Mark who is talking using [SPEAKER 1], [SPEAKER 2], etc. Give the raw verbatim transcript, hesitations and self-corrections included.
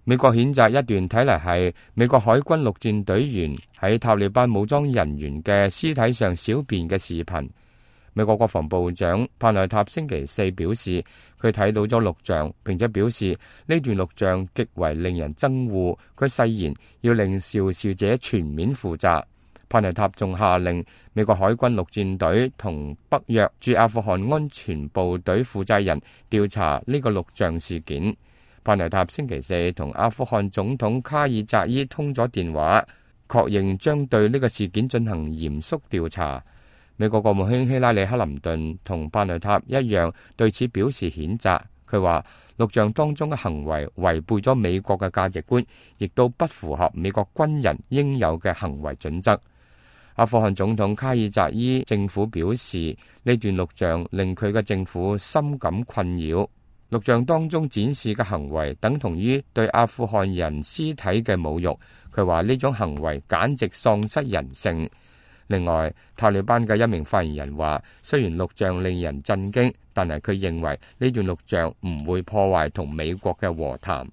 [SPEAKER 1] 美國譴責一段睇嚟係美國海軍陸戰隊員喺塔利班武裝人員嘅屍體上小便嘅視頻。美國國防部長帕內塔星期四表示，佢睇到咗錄像，並且表示呢段錄像極為令人憎惡。佢誓言要令肇事者全面負責。帕內塔仲下令美國海軍陸戰隊同北約駐阿富汗安全部隊負責人調查呢個錄像事件。帕內塔星期四同阿富汗總統卡爾扎伊通咗電話，確認將對呢個事件進行嚴肅調查。美國國務卿希拉里·克林頓同帕內塔一樣對此表示譴責。佢話錄像當中嘅行為違背咗美國嘅價值觀，亦都不符合美國軍人應有嘅行為準則。阿富汗總統卡爾扎伊政府表示，呢段錄像令佢嘅政府深感困擾。錄像當中展示嘅行為等同於對阿富汗人屍體嘅侮辱。佢話呢種行為簡直喪失人性。另外，塔利班嘅一名發言人話，雖然錄像令人震驚，但係佢認為呢段錄像唔會破壞同美國嘅和談。